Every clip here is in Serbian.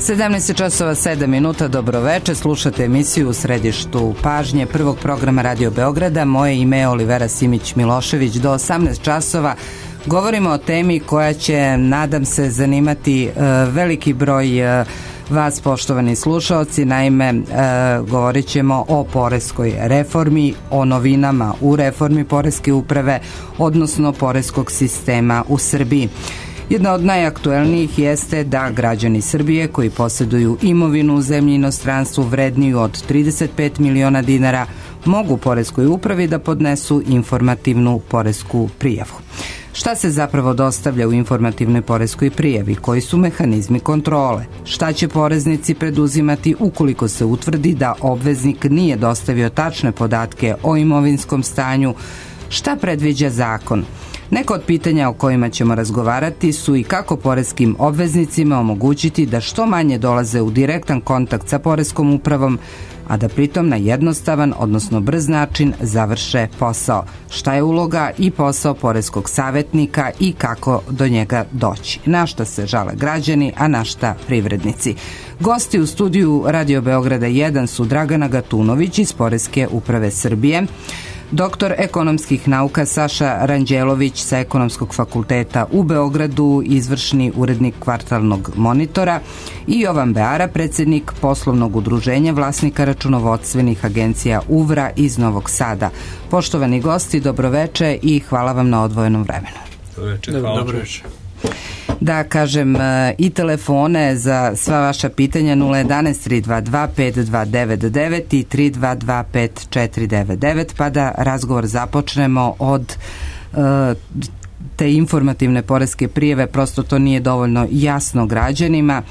17 časova 7 minuta, dobroveče, slušate emisiju U središtu pažnje prvog programa Radio Beograda. Moje ime je Olivera Simić-Milošević. Do 18 časova govorimo o temi koja će, nadam se, zanimati veliki broj vas, poštovani slušaoci. Naime, govorit ćemo o poreskoj reformi, o novinama u reformi poreske uprave, odnosno poreskog sistema u Srbiji. Jedna od najaktuelnijih jeste da građani Srbije koji posjeduju imovinu u zemlji i inostranstvu vredniju od 35 miliona dinara mogu poreskoj upravi da podnesu informativnu poresku prijavu. Šta se zapravo dostavlja u informativnoj poreskoj prijavi? Koji su mehanizmi kontrole? Šta će poreznici preduzimati ukoliko se utvrdi da obveznik nije dostavio tačne podatke o imovinskom stanju? Šta predviđa zakon? Neko od pitanja o kojima ćemo razgovarati su i kako poreskim obveznicima omogućiti da što manje dolaze u direktan kontakt sa poreskom upravom, a da pritom na jednostavan, odnosno brz način završe posao. Šta je uloga i posao poreskog savjetnika i kako do njega doći? Na šta se žale građani, a na šta privrednici? Gosti u studiju Radio Beograda 1 su Dragana Gatunović iz Poreske uprave Srbije, doktor ekonomskih nauka Saša Ranđelović sa Ekonomskog fakulteta u Beogradu, izvršni urednik Kvartalnog monitora, i Jovan Beara, predsjednik poslovnog udruženja vlasnika računovodstvenih agencija UVRA iz Novog Sada. Poštovani gosti, dobroveče i hvala vam na odvojenom vremenu. Dobroveče. Da kažem i telefone za sva vaša pitanja 011 322 5299 i 322 5499, pa da razgovor započnemo od te informativne poreske prijave. Prosto to nije dovoljno jasno građanima.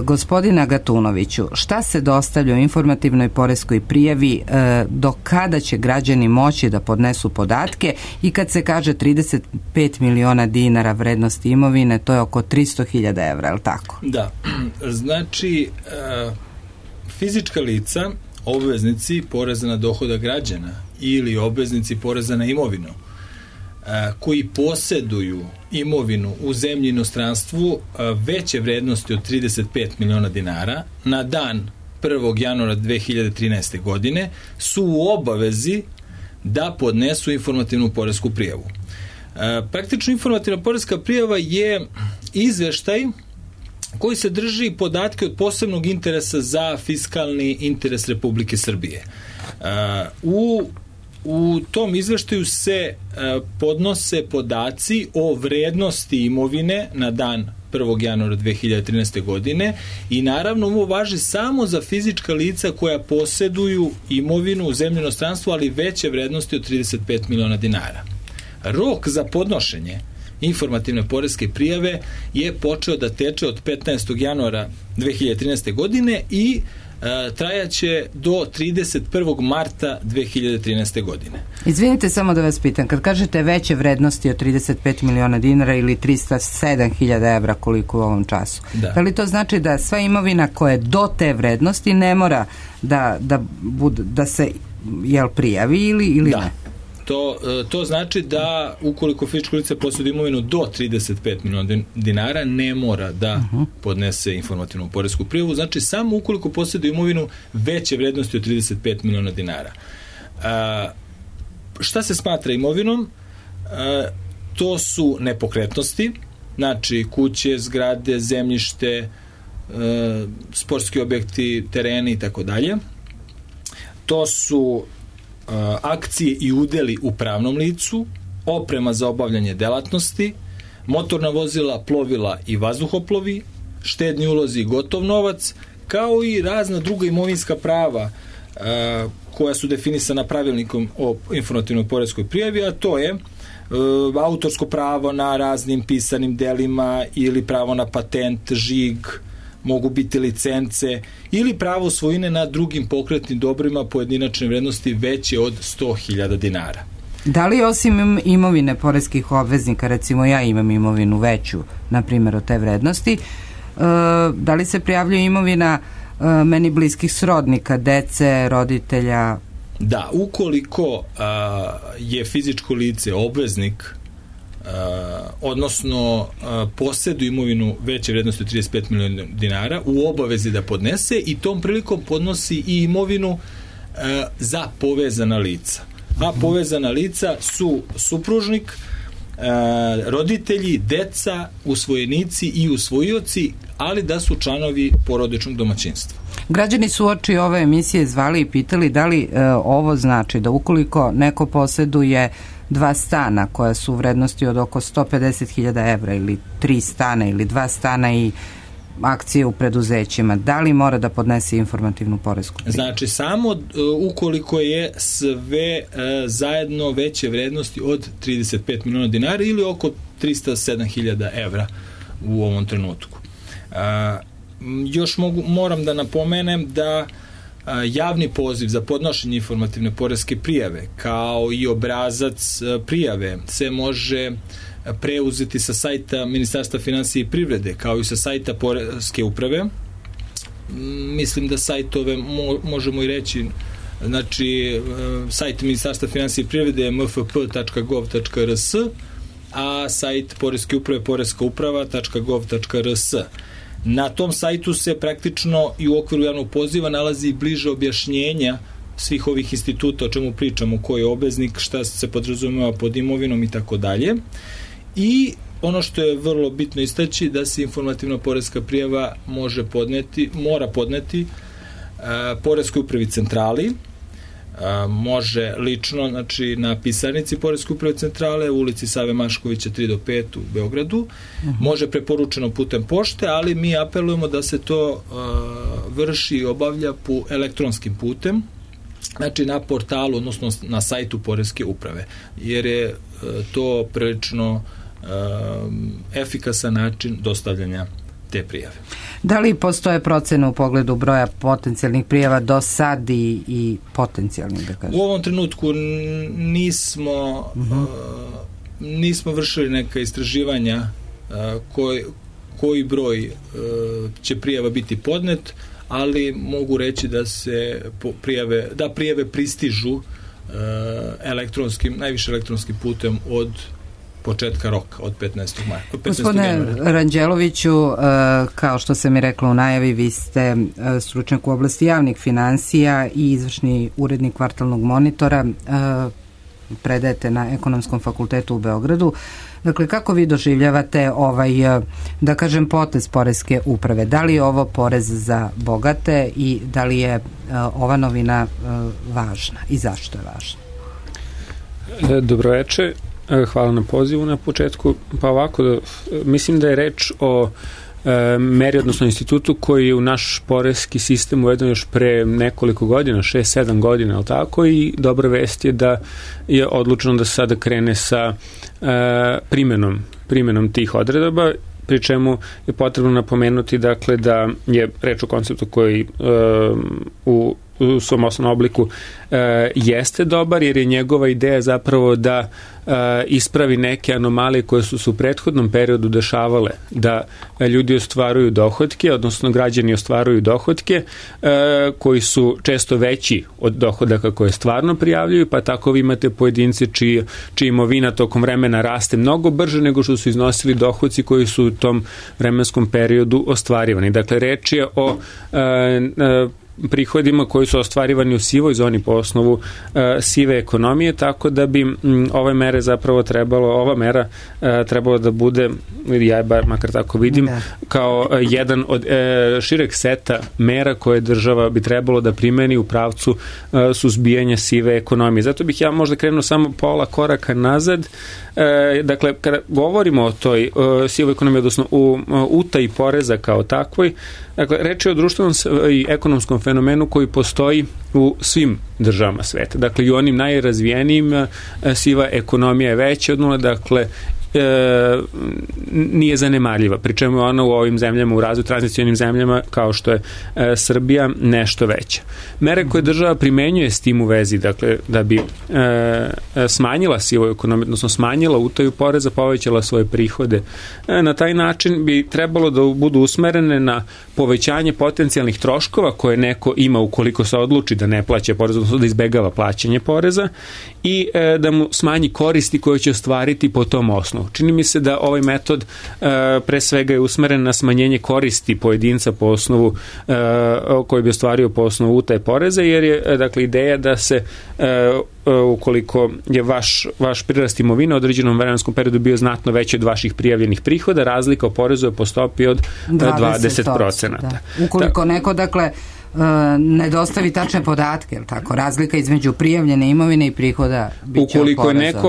Gospodina Gatunoviću, šta se dostavlja u informativnoj poreskoj prijavi, do kada će građani moći da podnesu podatke, i kad se kaže 35 miliona dinara vrednosti imovine, to je oko 300.000 evra, je li tako? Da, znači fizička lica, obveznici poreza na dohodak građana ili obveznici poreza na imovinu koji posjeduju imovinu u zemlji i inostranstvu veće vrednosti od 35 miliona dinara na dan 1. januara 2013. godine su u obavezi da podnesu informativnu poresku prijavu. Praktično informativna poreska prijava je izveštaj koji sadrži podatke od posebnog interesa za fiskalni interes Republike Srbije. U tom izveštaju se podnose podaci o vrednosti imovine na dan 1. januara 2013. godine i naravno ovo važi samo za fizička lica koja posjeduju imovinu u zemlji i inostranstvu, ali veće vrednosti od 35 miliona dinara. Rok za podnošenje informativne poreske prijave je počeo da teče od 15. januara 2013. godine i trajaće do 31. marta 2013. godine. Izvinite, samo da vas pitam, kad kažete veće vrednosti od 35 miliona dinara ili 307.000 evra koliko u ovom času, da li to znači da sva imovina koja je do te vrednosti ne mora da se prijavi ili ne? To znači da ukoliko fizičko lice posjeduje imovinu do 35 miliona dinara ne mora da podnese informativnu poresku prijavu, znači samo ukoliko posjeduje imovinu veće vrednosti od 35 miliona dinara. Šta se smatra imovinom? To su nepokretnosti, znači kuće, zgrade, zemljište, sportski objekti, tereni i tako dalje. To su akcije i udeli u pravnom licu, oprema za obavljanje delatnosti, motorna vozila, plovila i vazduhoplovi, štedni ulozi i gotov novac, kao i razna druga imovinska prava koja su definisana pravilnikom o informativnoj poreskoj prijavi, a to je autorsko pravo na raznim pisanim delima ili pravo na patent, žig, mogu biti licence ili pravo svojine na drugim pokretnim dobrima pojedinačne vrednosti veće od 100.000 dinara. Da li osim imovine poreskih obveznika, recimo ja imam imovinu veću, na primjer od te vrednosti, da li se prijavljuje imovina meni bliskih srodnika, dece, roditelja? Da, ukoliko je fizičko lice obveznik odnosno posjeduju imovinu veće vrednosti od 35 miliona dinara, u obavezi da podnese i tom prilikom podnosi i imovinu za povezana lica. A povezana lica su supružnik, roditelji, deca, usvojenici i usvojioci, ali da su članovi porodičnog domaćinstva. Građani su uoči ove emisije zvali i pitali da li ovo znači da ukoliko neko posjeduje 2 stana koja su u vrednosti od oko 150.000 evra ili 3 stana ili 2 stana i akcije u preduzećima, da li mora da podnese informativnu poresku prijavu? Znači, samo ukoliko je sve zajedno veće vrednosti od 35 miliona dinara ili oko 307.000 evra u ovom trenutku. Još moram da napomenem da javni poziv za podnošenje informativne poreske prijave kao i obrazac prijave se može preuzeti sa sajta Ministarstva finansija i privrede kao i sa sajta Poreske uprave. Mislim da sajtove možemo i reći, znači sajt Ministarstva finansija i privrede je mfp.gov.rs, a sajt Poreske uprave poreskauprava.gov.rs. Na tom sajtu se praktično i u okviru javnog poziva nalazi bliže objašnjenja svih ovih instituta o čemu pričamo, ko je obveznik, šta se podrazumeva pod imovinom i tako dalje. I ono što je vrlo bitno istaći da se informativna poreska prijava mora podneti Poreskoj upravi centrali, može lično, znači na pisarnici Poreske uprave centrale u ulici Save Maškovića 3-5 u Beogradu, može preporučeno putem pošte, ali mi apelujemo da se to vrši i obavlja elektronskim putem, znači na portalu, odnosno na sajtu Poreske uprave, jer je to prilično efikasan način dostavljanja te prijave. Da li postoje procene u pogledu broja potencijalnih prijava do sad i potencijalnih, da kažem? U ovom trenutku nismo vršili neka istraživanja koji broj će prijava biti podnet, ali mogu reći da se prijave pristižu najviše elektronskim putem od početka roka, od 15. maja. Gospodine Ranđeloviću, kao što sam i rekla u najavi, vi ste stručnjak u oblasti javnih finansija i izvršni urednik Kvartalnog monitora, predajete na Ekonomskom fakultetu u Beogradu. Dakle, kako vi doživljavate da kažem, potez Poreske uprave? Da li je ovo porez za bogate i da li je ova novina važna i zašto je važna? Dobroveče. Hvala na pozivu na početku. Pa ovako, mislim da je reč o meri, odnosno institutu koji je u naš poreski sistem uveden još pre nekoliko godina, 6-7 godina, ali tako, i dobra vest je da je odlučeno da se sada krene sa primenom tih odredaba, pri čemu je potrebno napomenuti, dakle, da je reč o konceptu koji u svom osnovnom obliku jeste dobar, jer je njegova ideja zapravo da ispravi neke anomalije koje su se u prethodnom periodu dešavale, da ljudi ostvaruju dohotke, odnosno građani ostvaruju dohotke koji su često veći od dohodaka koje stvarno prijavljuju, pa tako vi imate pojedince čija imovina tokom vremena raste mnogo brže nego što su iznosili dohodci koji su u tom vremenskom periodu ostvarivani. Dakle, reč je o prihodima koji su ostvarivani u sivoj zoni po osnovu sive ekonomije, tako da bi ova mera trebalo da bude, ja makar tako vidim, kao jedan od šireg seta mera koje država bi trebalo da primeni u pravcu suzbijanja sive ekonomije. Zato bih ja možda krenuo samo pola koraka nazad. Dakle, kada govorimo o toj sivoj ekonomiji, odnosno u utaji poreza kao takvoj, dakle, reč je o društvenom i ekonomskom fenomenu koji postoji u svim državama sveta. Dakle, i u onim najrazvijenijim siva ekonomija je veća od nula, dakle, nije zanemarljiva, pri čemu je ona u ovim zemljama, u razvoju tranzicionim zemljama kao što je Srbija, nešto veća. Mere koje država primenjuje s tim u vezi, dakle, da bi smanjila sivu ekonomiju, odnosno smanjila utaju poreza, povećala svoje prihode, na taj način bi trebalo da budu usmerene na povećanje potencijalnih troškova koje neko ima ukoliko se odluči da ne plaća porez, odnosno da izbegava plaćanje poreza, i da mu smanji koristi koje će ostvariti po tom osnovu. osnovu. Čini mi se da ovaj metod pre svega je usmeren na smanjenje koristi pojedinca po osnovu koji bi ostvario po osnovu utaje poreza, jer je dakle ideja da se ukoliko je vaš prirast imovine u određenom vremenskom periodu bio znatno veći od vaših prijavljenih prihoda, razlika oporezuje po stopi od 20%. Da. Ukoliko neko, dakle, ne dostavi tačne podatke, ili tako? Razlika između prijavljene imovine i prihoda biće oporezovana. Ukoliko je neko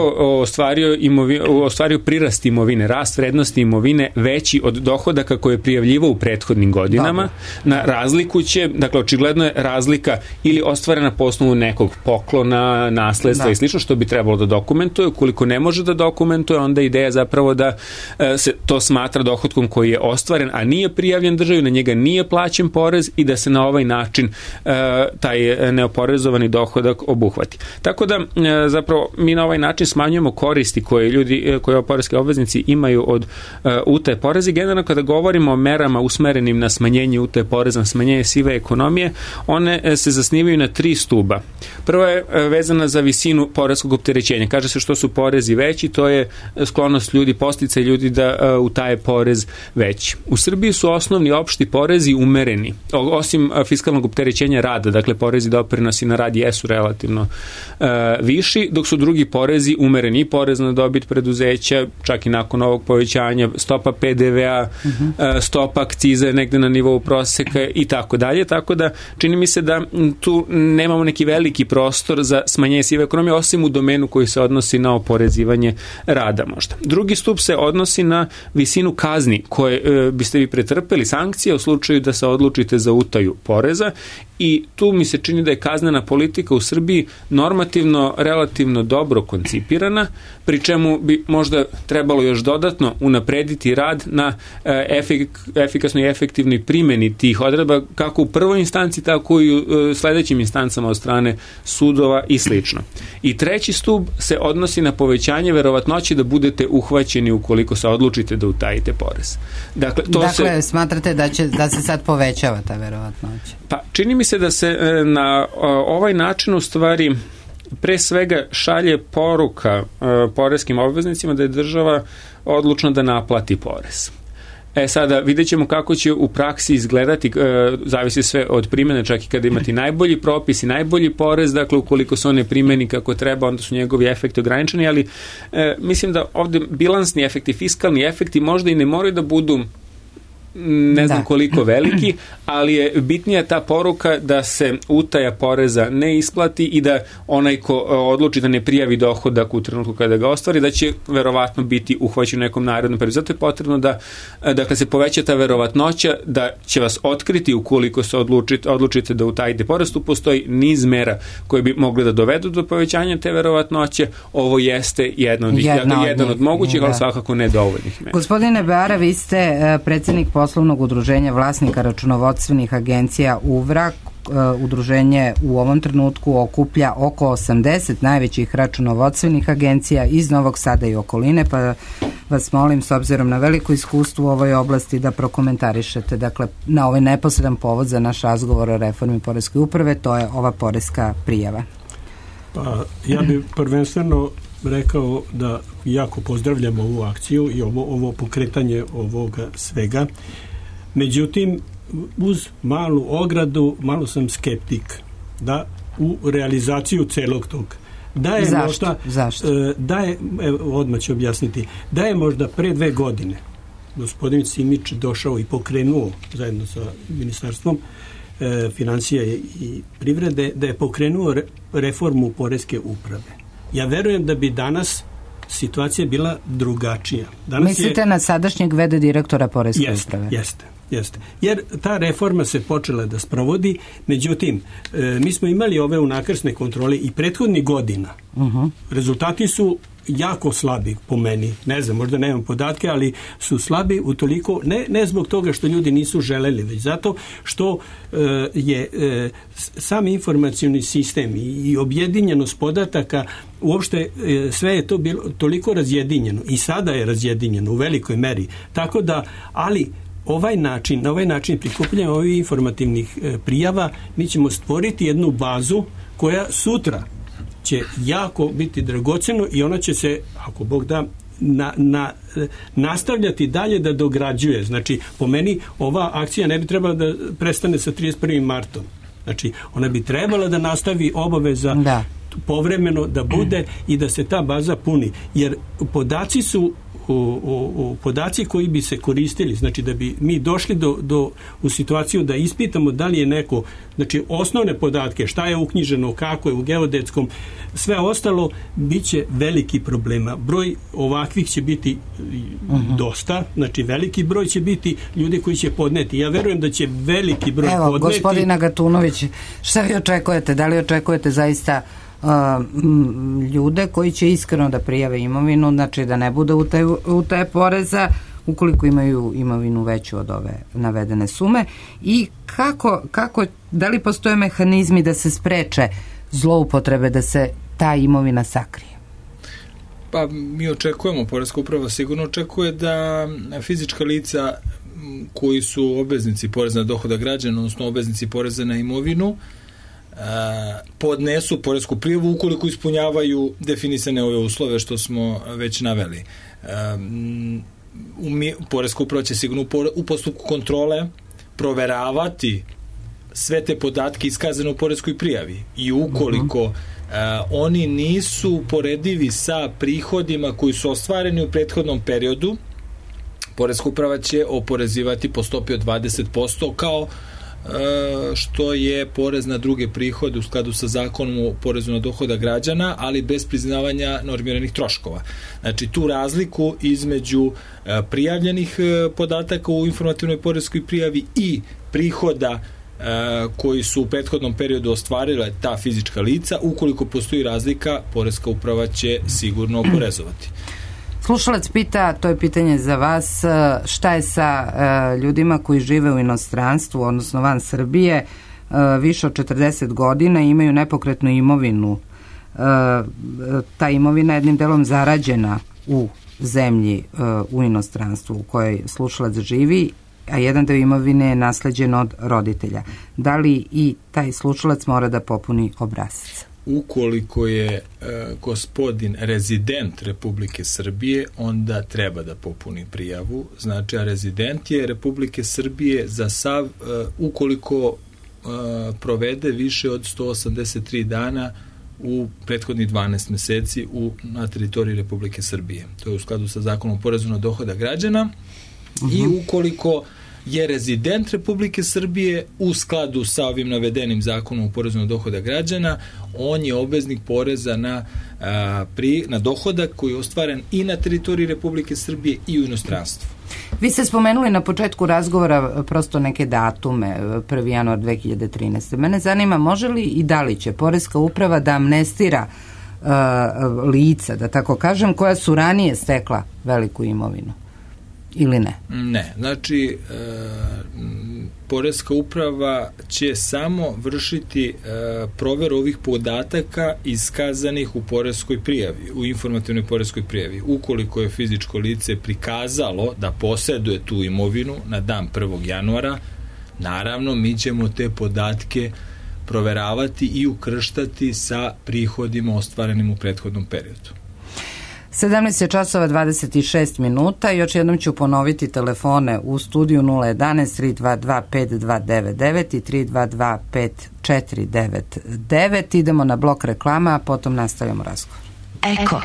ostvario prirast imovine, rast vrednosti imovine veći od dohodaka koje je prijavljivao u prethodnim godinama, na razliku će, dakle, očigledno je razlika ili ostvarena po osnovu nekog poklona, nasledstva i slično, što bi trebalo da dokumentuje. Ukoliko ne može da dokumentuje, onda je ideja zapravo da se to smatra dohodkom koji je ostvaren, a nije prijavljen državi, na njega nije plaćen porez i da se na ovaj način taj neoporezovani dohodak obuhvati. Tako da zapravo mi na ovaj način smanjujemo koristi koje poreski obveznici imaju od utaje poreza. Generalno kada govorimo o merama usmerenim na smanjenje utaje poreza, na smanjenje sive ekonomije, one se zasnivaju na 3 stuba. Prva je vezana za visinu poreskog opterećenja. Kaže se što su porezi veći, to je sklonost ljudi, podsticaj ljudi da utaje porez veći. U Srbiji su osnovni opšti porezi umereni, osim fiskalnog opterećenja rada, dakle porezi i doprinosi na rad jesu relativno viši, dok su drugi porezi umereni, i porez na dobit preduzeća, čak i nakon ovog povećanja, stopa PDV-a, stopa akcize negde na nivou proseka i tako dalje, tako da čini mi se da tu nemamo neki veliki prostor za smanjenje sive ekonomije, osim u domenu koji se odnosi na oporezivanje rada možda. Drugi stup se odnosi na visinu kazni koje biste vi pretrpeli, sankcije u slučaju da se odlučite za utaju poreza, i tu mi se čini da je kaznena politika u Srbiji normativno relativno dobro koncipirana, pri čemu bi možda trebalo još dodatno unaprediti rad na efikasnoj i efektivnoj primjeni tih odredba, kako u prvoj instanci, tako i u sledećim instancama od strane sudova i slično. I treći stup se odnosi na povećanje verovatnoće da budete uhvaćeni ukoliko se odlučite da utajite porez. Dakle, smatrate da se sad povećava ta verovatnoća? Pa, čini mi se da se na ovaj način u stvari pre svega šalje poruka poreskim obveznicima da je država odlučna da naplati porez. Sada vidjet ćemo kako će u praksi izgledati, zavisi sve od primjene, čak i kada imate najbolji propis i najbolji porez, dakle ukoliko se on ne primjeni kako treba, onda su njegovi efekti ograničeni, ali mislim da ovdje bilansni efekti, fiskalni efekti možda i ne moraju da budu ne znam koliko veliki, ali je bitnija ta poruka da se utaja poreza ne isplati i da onaj ko odluči da ne prijavi dohodak u trenutku kada ga ostvari, da će verovatno biti uhvaćen u nekom narednom periodu. Zato je potrebno da dakle, se poveća ta verovatnoća da će vas otkriti ukoliko se odlučite da utajite porez. Tu postoji niz mera koje bi mogli da dovedu do povećanja te verovatnoće. Ovo jeste jedan od mogućih, ali svakako ne dovoljnih mera. Gospodine Beara, vi ste predsjednik poslovnog udruženja vlasnika računovodstvenih agencija UVRA. Udruženje u ovom trenutku okuplja oko 80 najvećih računovodstvenih agencija iz Novog Sada i okoline, pa vas molim, s obzirom na veliko iskustvo u ovoj oblasti, da prokomentarišete, dakle, na ovaj neposredan povod za naš razgovor o reformi poreske uprave, to je ova poreska prijava. Pa, ja bih prvenstveno rekao da jako pozdravljam ovu akciju i ovo pokretanje ovoga svega. Međutim, uz malu ogradu, malo sam skeptik da u realizaciju celog tog. Zašto? Odmah ću objasniti. Da je možda pre 2 godine gospodin Simić došao i pokrenuo zajedno sa Ministarstvom financija i privrede, da je pokrenuo reformu poreske uprave. Ja verujem da bi danas situacija bila drugačija. Mislite na sadašnjeg v.d. direktora poreske uprave? Jeste. Jer ta reforma se počela da sprovodi, međutim, mi smo imali ove unakrsne kontrole i prethodnih godina. Rezultati su jako slabi po meni. Ne znam, možda nemam podatke, ali su slabi utoliko, ne zbog toga što ljudi nisu želeli, već zato što je sam informacioni sistem i objedinjenost podataka, uopšte sve je to bilo toliko razjedinjeno i sada je razjedinjeno u velikoj meri. Tako da, ali na ovaj način prikupljanja ovih informativnih prijava mi ćemo stvoriti jednu bazu koja sutra će jako biti dragoceno i ona će se, ako Bog da, nastavljati dalje da dograđuje. Znači, po meni ova akcija ne bi trebala da prestane sa 31. martom. Znači, ona bi trebala da nastavi obaveza povremeno da bude i da se ta baza puni. Jer podaci su podaci koji bi se koristili, znači da bi mi došli u situaciju da ispitamo da li je neko, znači osnovne podatke, šta je uknjiženo, kako je u geodetskom, sve ostalo, bit će veliki problema. Broj ovakvih će biti dosta, znači veliki broj će biti ljudi koji će podneti. Ja verujem da će veliki broj podneti. Evo, gospodina Gatunović, šta vi očekujete? Da li očekujete zaista ljude koji će iskreno da prijave imovinu, znači da ne bude utaje poreza ukoliko imaju imovinu veću od ove navedene sume, i kako, da li postoje mehanizmi da se spreče zloupotrebe, da se ta imovina sakrije? Pa mi očekujemo, Poreska uprava sigurno očekuje da fizička lica koji su obveznici poreza na dohodak građana, odnosno obveznici poreza na imovinu, podnesu poresku prijavu ukoliko ispunjavaju definisane ove uslove što smo već naveli. Poreska uprava će sigurno u postupku kontrole proveravati sve te podatke iskazane u poreskoj prijavi i ukoliko oni nisu poredivi sa prihodima koji su ostvareni u prethodnom periodu, Poreska uprava će oporezivati po stopi od 20% kao što je porez na druge prihode u skladu sa zakonom o porezu na dohodak građana, ali bez priznavanja normiranih troškova. Znači, tu razliku između prijavljenih podataka u informativnoj poreskoj prijavi i prihoda koji su u prethodnom periodu ostvarile ta fizička lica, ukoliko postoji razlika, Poreska uprava će sigurno oporezovati. Slušalac pita, to je pitanje za vas, šta je sa ljudima koji žive u inostranstvu, odnosno van Srbije, više od 40 godina i imaju nepokretnu imovinu. Ta imovina je jednim delom zarađena u zemlji u inostranstvu u kojoj slušalac živi, a jedan deo imovine je nasleđen od roditelja. Da li i taj slušalac mora da popuni obrazac? Ukoliko je gospodin rezident Republike Srbije, onda treba da popuni prijavu. Znači, a rezident je Republike Srbije za sav, ukoliko provede više od 183 dana u prethodnih 12 meseci na teritoriji Republike Srbije. To je u skladu sa zakonom o porezu na dohodak građana. I ukoliko je rezident Republike Srbije u skladu sa ovim navedenim zakonom o porezu na dohodak građana, on je obveznik poreza na dohodak koji je ostvaren i na teritoriji Republike Srbije i u inostranstvu. Vi ste spomenuli na početku razgovora prosto neke datume, 1. januar 2013. Mene zanima, može li i da li će Poreska uprava da amnestira lica, da tako kažem, koja su ranije stekla veliku imovinu? Ili ne? Ne. Znači, Poreska uprava će samo vršiti proveru ovih podataka iskazanih u poreskoj prijavi, u informativnoj poreskoj prijavi. Ukoliko je fizičko lice prikazalo da poseduje tu imovinu na dan 1. januara, naravno mi ćemo te podatke proveravati i ukrštati sa prihodima ostvarenim u prethodnom periodu. 17 časova 26 minuta. Još jednom ću ponoviti telefone u studiju 011 322 5299 i 322 5499. Idemo na blok reklama, a potom nastavljamo razgovor. Eko.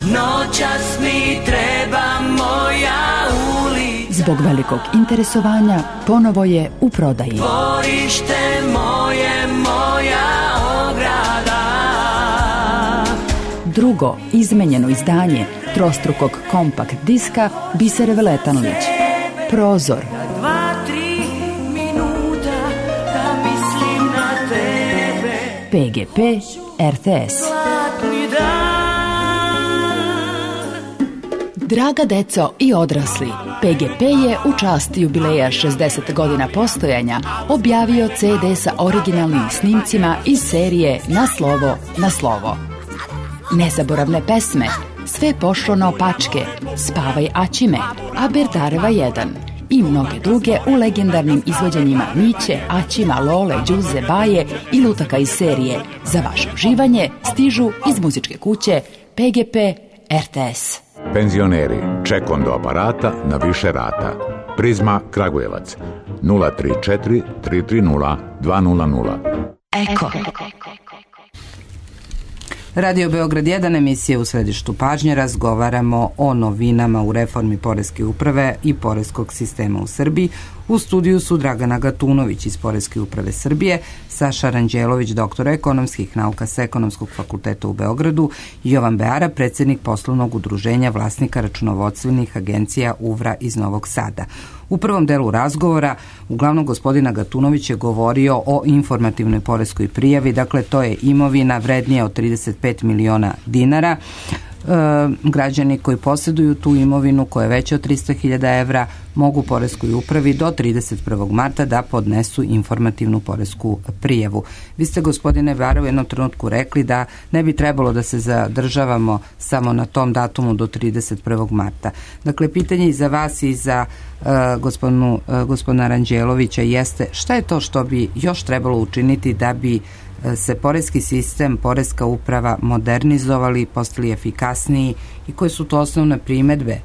Noćas mi treba moja ulica. Zbog velikog interesovanja ponovo je u prodaji. Dvorište moje, moja ograda. Drugo izmenjeno izdanje trostrukog kompakt diska Bisere Veletanlić. Prozor. 2-3 minuta da mislim na tebe. PGP RTS. Draga deco i odrasli, PGP je u čast jubileja 60 godina postojanja objavio CD sa originalnim snimcima iz serije Na slovo, na slovo. Nezaboravne pesme, Sve pošlo naopačke, Spavaj Aćime, Aberdareva 1 i mnoge druge u legendarnim izvođenjima Miće, Aćima, Lole, Đuze, Baje i lutaka iz serije. Za vaše uživanje stižu iz muzičke kuće PGP RTS. Penzioneri, ček do aparata na više rata. Prizma Kragujevac 034 330 200. Eko. Radio Beograd 1, emisija U središtu pažnje. Razgovaramo o novinama u reformi poreske uprave i poreskog sistema u Srbiji. U studiju su Dragana Gatunović iz Poreske uprave Srbije, Saša Ranđelović, doktor ekonomskih nauka sa Ekonomskog fakulteta u Beogradu, Jovan Beara, predsjednik poslovnog udruženja vlasnika računovodstvenih agencija UVRA iz Novog Sada. U prvom delu razgovora uglavnom gospodina Gatunović je govorio o informativnoj poreskoj prijavi, dakle to je imovina vrednija od 35 miliona dinara. Građani koji posjeduju tu imovinu koja je veća od 300.000 evra mogu poreskoj upravi do 31. marta da podnesu informativnu poresku prijavu. Vi ste, gospodine Beara, u jednom trenutku rekli da ne bi trebalo da se zadržavamo samo na tom datumu do 31. marta. Dakle, pitanje i za vas i za gospodina Ranđelovića jeste šta je to što bi još trebalo učiniti da bi se poreski sistem, poreska uprava modernizovali, postali efikasniji i koje su to osnovne primedbe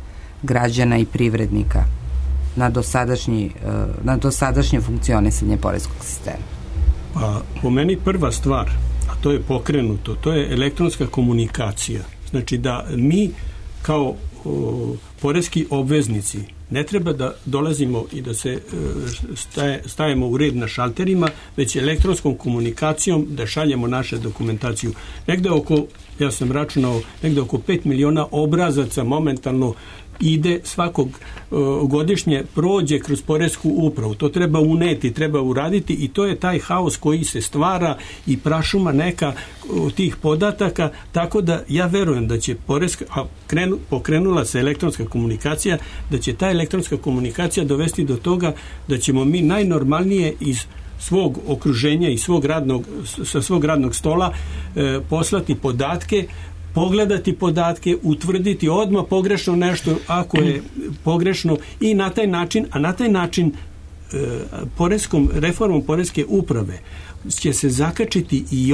građana i privrednika na dosadašnje funkcionisanje poreskog sistema? Pa, po meni prva stvar, a to je pokrenuto, to je elektronska komunikacija. Znači da mi kao poreski obveznici ne treba da dolazimo i da se stajemo u red na šalterima, već elektronskom komunikacijom da šaljemo naše dokumentaciju. Negde oko, ja sam računao, negde oko 5 miliona obrazaca momentalno ide svakog godišnje prođe kroz poresku upravu. To treba uneti, treba uraditi i to je taj haos koji se stvara i prašuma neka tih podataka, tako da ja verujem da će pokrenula se elektronska komunikacija, da će ta elektronska komunikacija dovesti do toga da ćemo mi najnormalnije iz svog okruženja i sa svog radnog stola poslati podatke, pogledati podatke, utvrditi odmah pogrešno nešto ako je pogrešno i na taj način reformom poreske uprave će se zakačiti i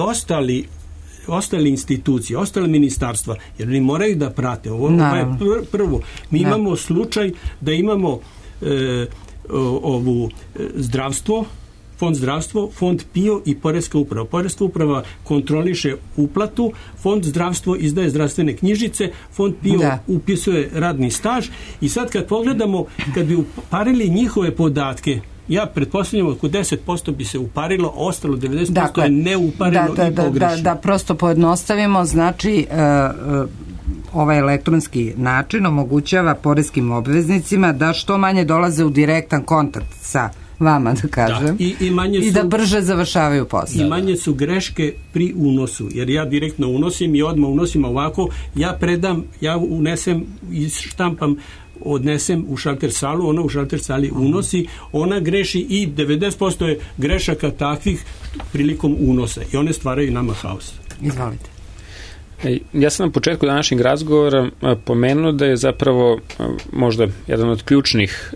ostali institucije, ostale ministarstva, jer oni moraju da prate. Ovo je prvo. Mi imamo slučaj da imamo zdravstvo, Fond zdravstvo, Fond PIO i Poreska uprava. Poreska uprava kontroliše uplatu, Fond zdravstvo izdaje zdravstvene knjižice, Fond PIO upisuje radni staž i sad kad pogledamo, kad bi uparili njihove podatke, ja pretpostavljam oko 10% bi se uparilo, ostalo 90% je neuparilo i pogrešno. Da prosto pojednostavimo, znači ovaj elektronski način omogućava poreskim obveznicima da što manje dolaze u direktan kontakt sa vama, da kažem, i da brže završavaju posao. I manje su greške pri unosu, jer ja direktno unosim i odmah unosim ovako, ja predam, ja unesem, štampam, odnesem u šalter salu, ona u šalter sali unosi, ona greši i 90% je grešaka takvih prilikom unosa i one stvaraju nama haos. Izvolite. Ja sam na početku današnjeg razgovora pomenuo da je zapravo možda jedan od ključnih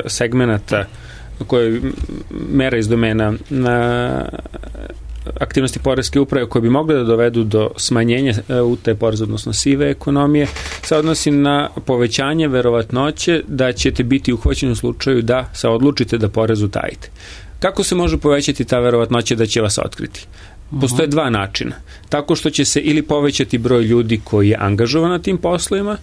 segmenata koje mera iz domena na aktivnosti poreske uprave koje bi mogle da dovedu do smanjenja utaje poreza, odnosno sive ekonomije, se odnosi na povećanje verovatnoće da ćete biti uhvaćeni u slučaju da se odlučite da porez utajite. Kako se može povećati ta verovatnoća da će vas otkriti? Postoje dva načina. Tako što će se ili povećati broj ljudi koji je angažovan na tim poslovima,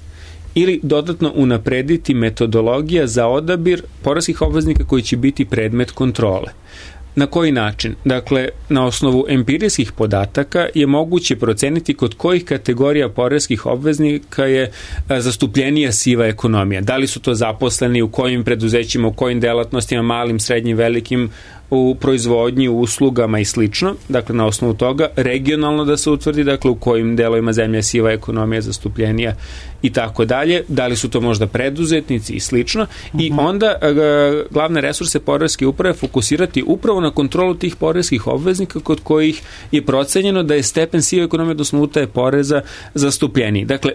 ili dodatno unaprediti metodologija za odabir poreskih obveznika koji će biti predmet kontrole. Na koji način? Dakle, na osnovu empirijskih podataka je moguće proceniti kod kojih kategorija poreskih obveznika je zastupljenija siva ekonomija. Da li su to zaposleni, u kojim preduzećima, u kojim delatnostima, malim, srednjim, velikim, u proizvodnji, u uslugama i slično. Dakle, na osnovu toga regionalno da se utvrdi, dakle, u kojim delovima zemlje je siva ekonomija zastupljenija i tako dalje. Da li su to možda preduzetnici i slično. I onda glavne resurse poreske uprave fokusirati upravo na kontrolu tih poreskih obveznika kod kojih je procenjeno da je stepen sive ekonomije, odnosno utaje poreza, zastupljeniji. Dakle,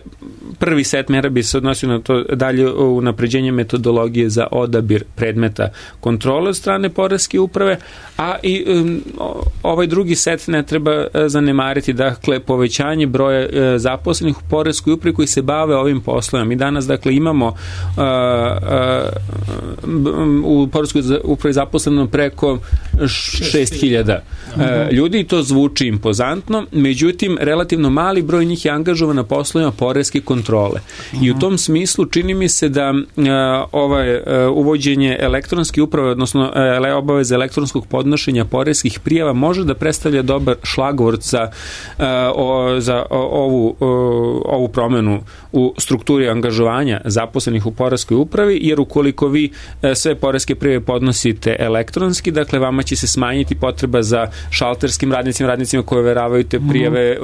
prvi set mera bi se odnosio na to dalje unapređenje metodologije za odabir predmeta kontrole od strane poreske uprave, uprave, a i ovaj drugi set ne treba zanemariti, dakle povećanje broja zaposlenih u poreskoj upravi koji se bave ovim poslovima. Mi danas dakle imamo u poreskoj upravi zaposleno preko 6.000 ljudi, to zvuči impozantno, međutim relativno mali broj njih je angažovan na poslovima poreske kontrole. I u tom smislu čini mi se da uvođenje elektronske uprave, odnosno obaveze elektronskog podnošenja poreskih prijava može da predstavlja dobar šlagvort za ovu promenu u strukturi angažovanja zaposlenih u poreskoj upravi, jer ukoliko vi sve poreske prijave podnosite elektronski, dakle vama će se smanjiti potreba za šalterskim radnicima koji overavaju te prijave,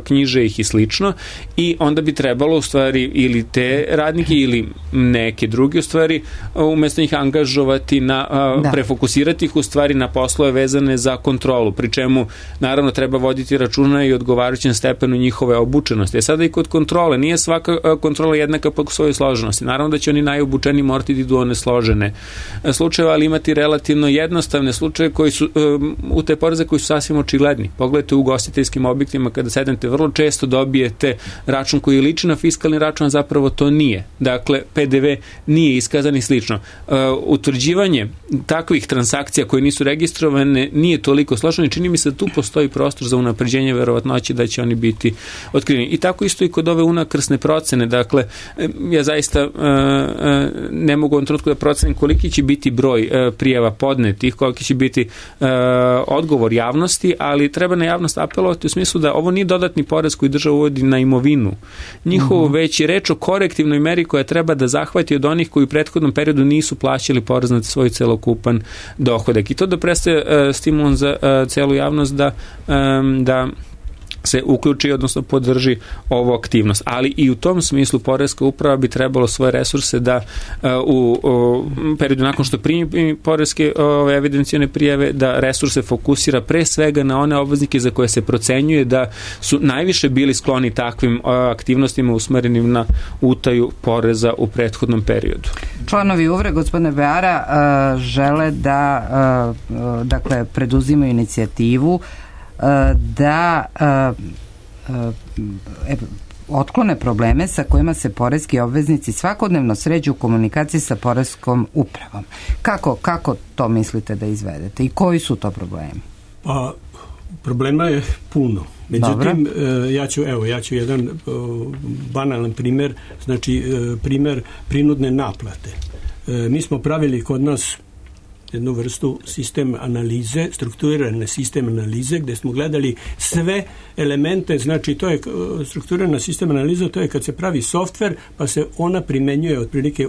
knjiže ih i slično, i onda bi trebalo u stvari ili te radnike ili neke druge u stvari umesto njih angažovati prefokusirati ih u stvari na poslove vezane za kontrolu, pri čemu naravno treba voditi računa i odgovarajućem stepenu njihove obučenosti. Sada i kod kontrole, nije svaka kontrola jednaka po svojoj složenosti. Naravno da će oni najobučeniji morati da idu one složene slučajeve, ali imati relativno jednostavne slučaje koji su u te poreze koji su sasvim očigledni. Pogledajte u ugostiteljskim objektima kada sednete, vrlo često dobijete račun koji liči na fiskalni račun, a zapravo to nije. Dakle, PDV nije iskazan i slično. Utvrđivanje takvih transakcija koje nisu registrovane nije toliko složeno i čini mi se da tu postoji prostor za unapređenje verovatnoće da će oni biti otkriveni. I tako isto i kod ove unakrsne procene. Dakle, ja zaista ne mogu u ovom trenutku da procenim koliki će biti broj prijava podnetih, koliki će biti odgovor javnosti, ali treba na javnost apelovati u smislu da ovo nije dodatni porez koji država uvodi na imovinu. Njihovo već je reč o korektivnoj meri koja treba da zahvati od onih koji u prethodnom periodu nisu plaćali porez na svoj celokupan dohodak. I to da predstavlja stimulon za celu javnost da se uključi, odnosno podrži ovu aktivnost. Ali i u tom smislu poreska uprava bi trebalo svoje resurse da u periodu nakon što primi poreske evidencijone prijave, da resurse fokusira pre svega na one obveznike za koje se procenjuje da su najviše bili skloni takvim aktivnostima usmerenim na utaju poreza u prethodnom periodu. Članovi UVRE, gospodine Beara, žele da dakle preduzimaju inicijativu da otklone probleme sa kojima se poreski obveznici svakodnevno sređu u komunikaciji sa poreskom upravom. Kako to mislite da izvedete i koji su to problemi? Pa, problema je puno. Međutim, ja ću jedan banalan primjer, znači primjer prinudne naplate. Mi smo pravili kod nas jednu vrstu sistem analize, strukturirane sistem analize, gdje smo gledali sve elemente, znači to je strukturirana sistem analiza, to je kad se pravi softver, pa se ona primenjuje otprilike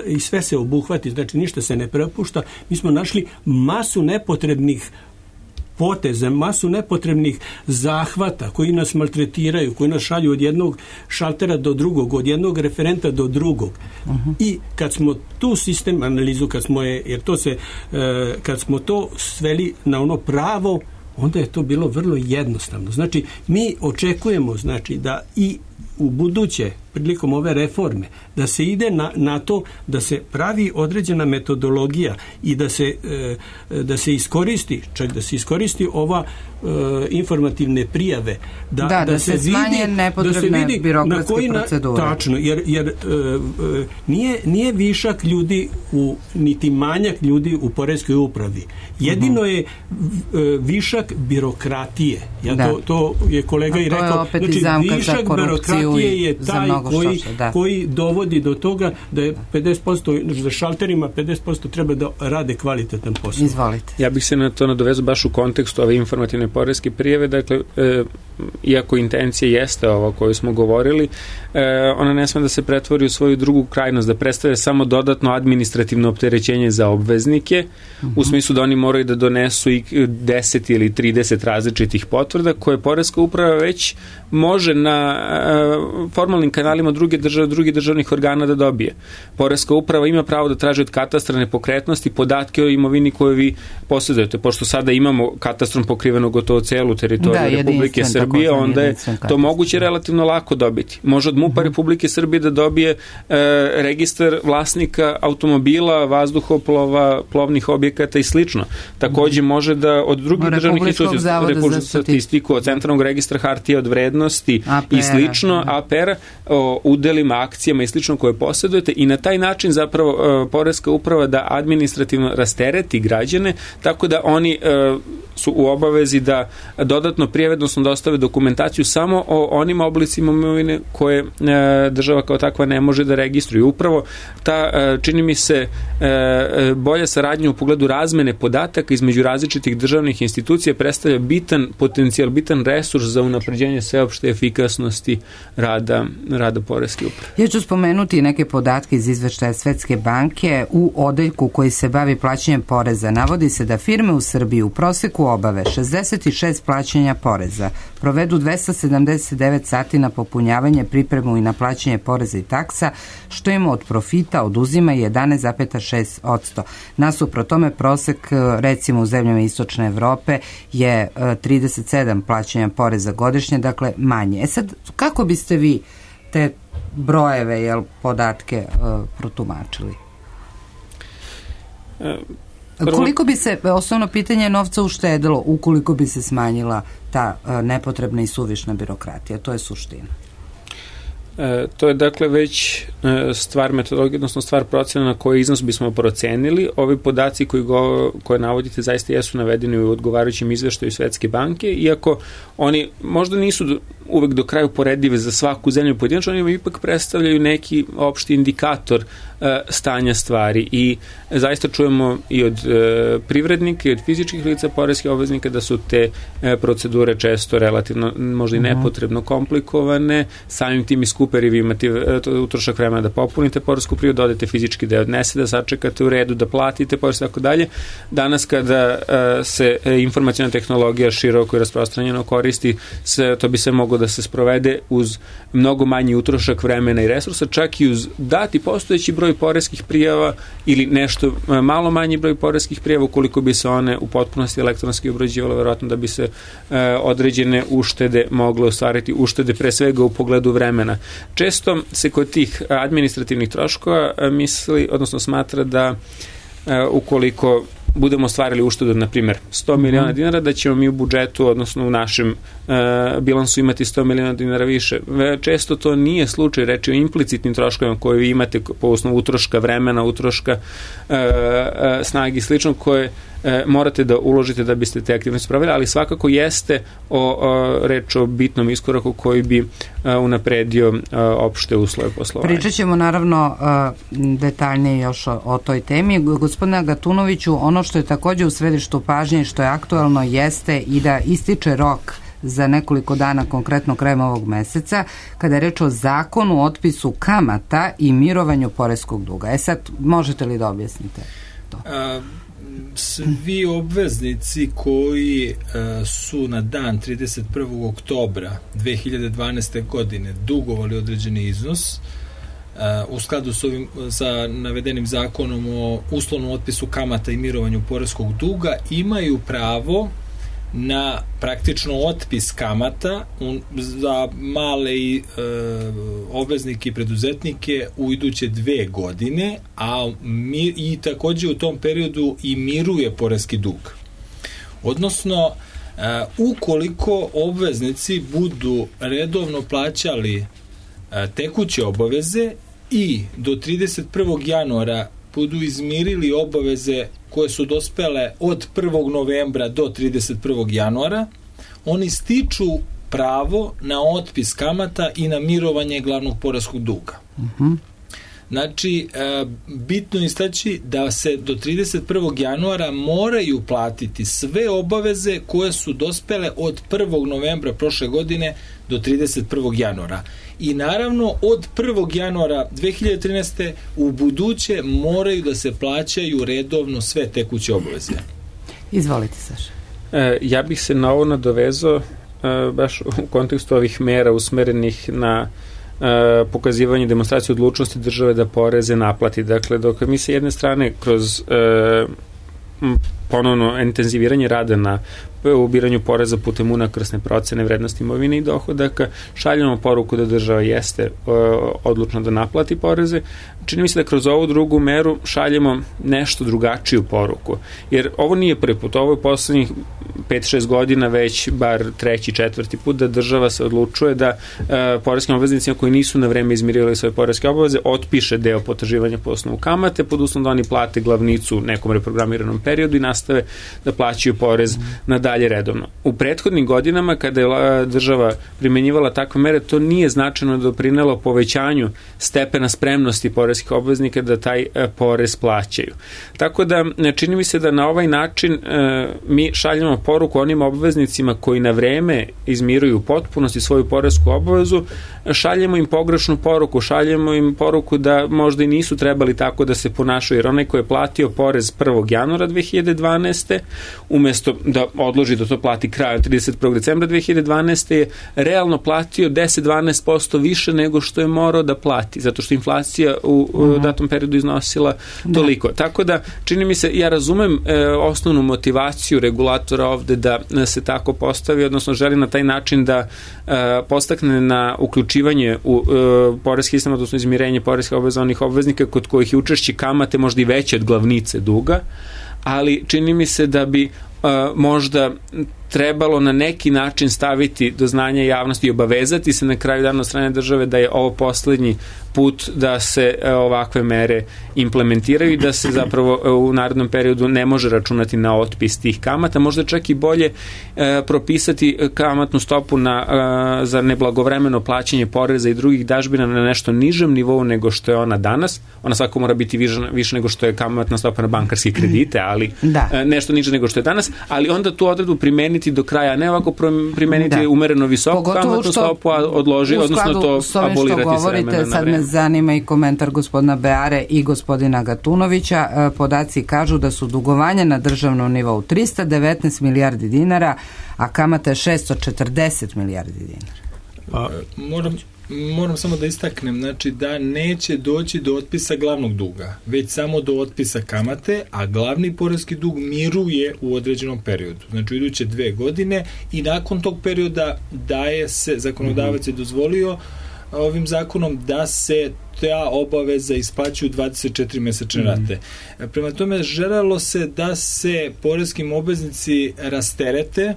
i sve se obuhvati, znači ništa se ne prepušta. Mi smo našli masu nepotrebnih poteze, masu nepotrebnih zahvata koji nas maltretiraju, koji nas šalju od jednog šaltera do drugog, od jednog referenta do drugog. I kad smo tu sistem analizu, kad smo to sveli na ono pravo, onda je to bilo vrlo jednostavno. Znači, mi očekujemo, znači, da i u buduće, prilikom ove reforme, da se ide na to da se pravi određena metodologija i da se iskoristi ova informativne prijave, da se smanje nepotrebne birokratske procedure. Tačno, jer nije višak ljudi niti manjak ljudi u poreskoj upravi. Jedino je višak birokratije. To je kolega i rekao. Znači, višak birokratije je taj koji dovodi do toga da je 50% za šalterima, 50% treba da rade kvalitetan posao. Izvolite. Ja bih se na to nadovezao baš u kontekstu ove informativne poreske prijave, dakle, iako intencija jeste ova o kojoj smo govorili, ona ne sme da se pretvori u svoju drugu krajnost, da predstavlja samo dodatno administrativno opterećenje za obveznike, u smislu da oni moraju da donesu i 10 ili 30 različitih potvrda koje poreska uprava već može na formalnim kanalima kanalima drugih državnih organa da dobije. Poreska uprava ima pravo da traži od katastra nepokretnosti podatke o imovini koju vi posjedujete. Pošto sada imamo katastrom pokriveno gotovo celu teritoriju Republike Srbije, onda je to moguće relativno lako dobiti. Može od MUP-a Republike Srbije da dobije registar vlasnika automobila, vazduhoplova, plovnih objekata i slično. Takođe može da od drugih državnih institucija, Republičku statistiku, od Centralnog registra hartija od vrednosti i slično, APR, o udelima, akcijama i slično koje posjedujete, i na taj način zapravo Poreska uprava da administrativno rastereti građane, tako da oni su u obavezi da dodatno prijave, odnosno dostave dokumentaciju samo o onim oblicima imovine koje država kao takva ne može da registruje. Upravo ta, čini mi se, bolja saradnja u pogledu razmene podataka između različitih državnih institucija predstavlja bitan potencijal, bitan resurs za unapređenje sveopšte efikasnosti rada Poreske uprave. Ja ću spomenuti neke podatke iz izveštaja Svetske banke. U odeljku koji se bavi plaćanjem poreza navodi se da firme u Srbiji u proseku obave 66 plaćanja poreza, provedu 279 sati na popunjavanje, pripremu i na plaćanje poreza i taksa, što im od profita oduzima 11,6%. Nasuprot tome prosek, recimo u zemljama Istočne Evrope, je 37 plaćanja poreza godišnje, dakle manje. Sad, kako biste vi te brojeve, podatke protumačili? Koliko bi se, osnovno pitanje, novca uštedilo ukoliko bi se smanjila ta nepotrebna i suvišna birokratija? To je suština. To je dakle već stvar metodologije, odnosno stvar procena na koji iznos bismo procenili. Ovi podaci koje navodite zaista jesu navedeni u odgovarajućem izveštaju Svetske banke, iako oni možda nisu uvek do kraju poredive za svaku zemlju pojedinačno, oni ipak predstavljaju neki opšti indikator stanja stvari, i zaista čujemo i od privrednika i od fizičkih lica poreskih obveznika da su te procedure često relativno možda i nepotrebno komplikovane, samim tim i skupe, jer vi imate utrošak vremena da popunite poresku prijavu, da odete fizički da je odnese, da sačekate u redu, da platite porez, tako dalje. Danas kada se informaciona tehnologija široko i rasprostranjeno koristi, to bi se moglo da se sprovede uz mnogo manji utrošak vremena i resursa, čak i uz dati postojeći broj poreskih prijava ili nešto malo manji broj poreskih prijava, ukoliko bi se one u potpunosti elektronski obrađivale, verovatno da bi se određene uštede mogle ostvariti, uštede pre svega u pogledu vremena. Često se kod tih administrativnih troškova misli, odnosno smatra da ukoliko budemo ostvarili uštedu, na primjer, 100 miliona dinara, da ćemo mi u budžetu, odnosno u našem bilansu imati 100 miliona dinara više. Često to nije slučaj, reći o implicitnim troškovima koje vi imate po osnovu utroška vremena, utroška snagi i slično, koje morate da uložite da biste te aktivnosti spravili, ali svakako jeste reč o bitnom iskoraku koji bi unapredio opšte uslove poslovanja. Pričat ćemo naravno detaljnije još o toj temi. Gospodine Agatunoviću, ono što je takođe u središtu pažnje, što je aktualno, jeste i da ističe rok za nekoliko dana, konkretno krajem ovog meseca, kada je reč o zakonu o otpisu kamata i mirovanju poreskog duga. Sad, možete li da objasnite to? Svi obveznici koji su na dan 31. oktobra 2012. godine dugovali određeni iznos u skladu sa navedenim zakonom o uslovnom otpisu kamata i mirovanju poreskog duga imaju pravo na praktično otpis kamata za male obveznike i preduzetnike u iduće 2 godine, i takođe u tom periodu i miruje poreski dug. Odnosno, ukoliko obveznici budu redovno plaćali tekuće obaveze i do 31. januara budu izmirili obaveze koje su dospele od 1. novembra do 31. januara, oni stiču pravo na otpis kamata i na mirovanje glavnog poreskog duga. Znači, bitno je istaći da se do 31. januara moraju platiti sve obaveze koje su dospele od 1. novembra prošle godine do 31. januara. I naravno, od 1. januara 2013. u buduće moraju da se plaćaju redovno sve tekuće obaveze. Izvolite, Saša. Ja bih se na ovo nadovezao baš u kontekstu ovih mera usmerenih na pokazivanje demonstracije odlučnosti države da poreze naplati. Dakle, dok mi se jedne strane kroz ponovno intenziviranje rada na ubiranju poreza putem unakrsne procene vrednosti imovine i dohodaka, šaljamo poruku da država jeste odlučna da naplati poreze. Čini mi se da kroz ovu drugu meru šaljemo nešto drugačiju poruku. Jer ovo nije prvi put, ovo je poslednjih 5-6 godina već bar 3. 4. put da država se odlučuje da poreskim obveznicima koji nisu na vreme izmirili svoje poreske obaveze otpiše deo potraživanja po osnovu kamate pod uslovom da oni plate glavnicu u nekom reprogramiranom periodu i nastave da plaćaju porez na dalje redovno. U prethodnim godinama kada je država primenjivala takve mere, to nije značajno doprinelo povećanju stepena spremnosti poreskih obveznika da taj porez plaćaju. Tako da čini mi se da na ovaj način mi šaljemo poruku onim obveznicima koji na vreme izmiruju u potpunosti svoju poresku obavezu, šaljemo im pogrešnu poruku, šaljemo im poruku da možda i nisu trebali tako da se ponašaju, jer onaj ko je platio porez 1. januara 2012. umesto da odloži da to plati krajem 31. decembra 2012. je realno platio 10-12% više nego što je morao da plati, zato što inflacija u datom periodu iznosila toliko. Tako da, čini mi se, ja razumem osnovnu motivaciju regulatora ovde da se tako postavi, odnosno želi na taj način da postakne na uključivanje u poreski sistem, odnosno izmirenje poreskih obaveza onih obveznika kod kojih je učešće kamate možda i veće od glavnice duga, ali čini mi se da bi možda trebalo na neki način staviti do znanja javnosti i obavezati se na kraju dana od strane države da je ovo poslednji put da se ovakve mere implementiraju i da se zapravo u narednom periodu ne može računati na otpis tih kamata. Možda čak i bolje propisati kamatnu stopu za neblagovremeno plaćanje poreza i drugih dažbina na nešto nižem nivou nego što je ona danas. Ona svako mora biti više nego što je kamatna stopa na bankarske kredite, ali nešto niže nego što je danas, ali onda tu odredbu primeniti do kraja, ne ovako primeniti umereno visoku kamatnu stopu, a odloži, odnosno to abolirati s vremena na sad me zanima i komentar gospodina Beare i gospodina Gatunovića. Podaci kažu da su dugovanja na državnom nivou 319 milijardi dinara, a kamata je 640 milijardi dinara. Moram samo da istaknem, znači da neće doći do otpisa glavnog duga, već samo do otpisa kamate, a glavni poreski dug miruje u određenom periodu. Znači u iduće 2 godine i nakon tog perioda daje se, zakonodavac je dozvolio ovim zakonom da se ta obaveza isplaćuju 24 mesečne rate. Prema tome želelo se da se poreskim obveznici rasterete.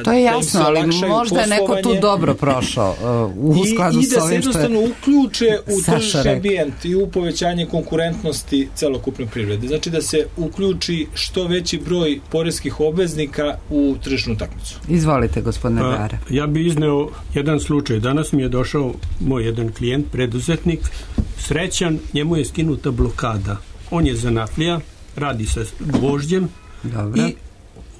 To je jasno, ali možda je neko tu dobro prošao u skladu s ovim što je i da se jednostavno uključe u tržišni ambijent i u povećanje konkurentnosti celokupne privrede. Znači da se uključi što veći broj poreskih obveznika u tržišnu utakmicu. Izvolite, gospodine Beara. Ja bih izneo jedan slučaj. Danas mi je došao moj jedan klijent, preduzetnik, srećan, njemu je skinuta blokada. On je zanatlija, radi sa gvožđem i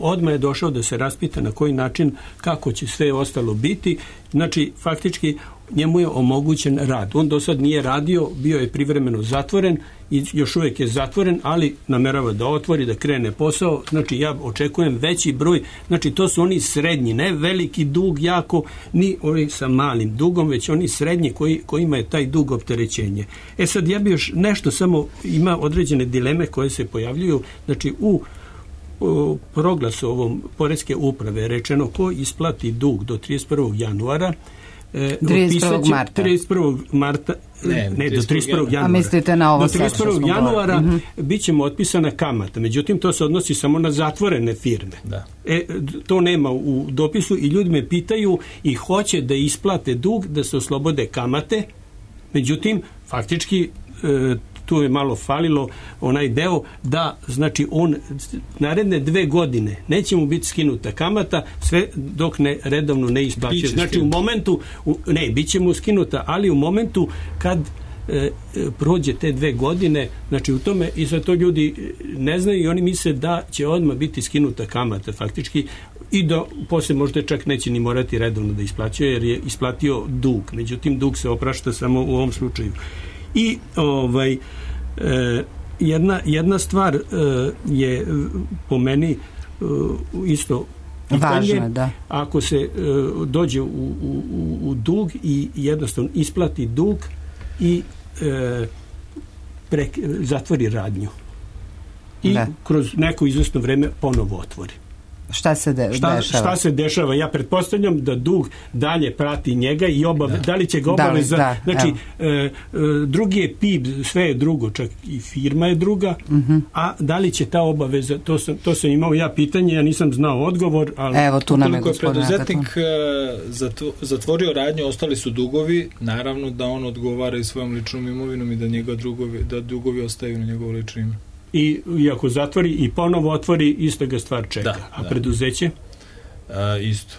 odmah je došao da se raspita na koji način, kako će sve ostalo biti. Znači, faktički, njemu je omogućen rad. On do sad nije radio, bio je privremeno zatvoren i još uvijek je zatvoren, ali namerava da otvori, da krene posao. Znači, ja očekujem veći broj. Znači, to su oni srednji, ne veliki dug jako, ni oni sa malim dugom, već oni srednji kojima je taj dug opterećenje. Sad, ja bi još nešto, samo ima određene dileme koje se pojavljuju. Znači, u proglasu ovom poreske uprave rečeno ko isplati dug do 31. januara 31. marta ne, do 31. januara. A mislite na ovo do 31. januara bit će mu otpisana kamata. Međutim, to se odnosi samo na zatvorene firme. Da. To nema u dopisu i ljudi me pitaju i hoće da isplate dug, da se oslobode kamate. Međutim, faktički tu je malo falilo onaj deo da, znači, on naredne 2 godine neće mu biti skinuta kamata sve dok redovno ne isplaćuje. Znači, u momentu, bit će mu skinuta, ali u momentu kad prođe te 2 godine, znači u tome, i za to ljudi ne znaju i oni misle da će odmah biti skinuta kamata faktički i da posle možda čak neće ni morati redovno da isplaćuje jer je isplatio dug. Međutim, dug se oprašta samo u ovom slučaju. I jedna stvar je po meni isto pitanje, važno, da. Ako se dođe u dug i jednostavno isplati dug i zatvori radnju i kroz neko izvesno vreme ponovo otvori. Šta se dešava? Šta se dešava? Ja pretpostavljam da dug dalje prati njega i da li će ga obaveza... Znači, drugi je PIB, sve je drugo, čak i firma je druga, a da li će ta obaveza, to sam imao ja pitanje, ja nisam znao odgovor, ali... Evo, tu nam je gospodin preduzetnik zatvorio radnju, ostali su dugovi, naravno da on odgovara i svojom ličnom imovinom i da dugovi ostaju na njegovo lično ime. I ako zatvori i ponovo otvori, ista ga stvar čeka. A preduzeće? Isto.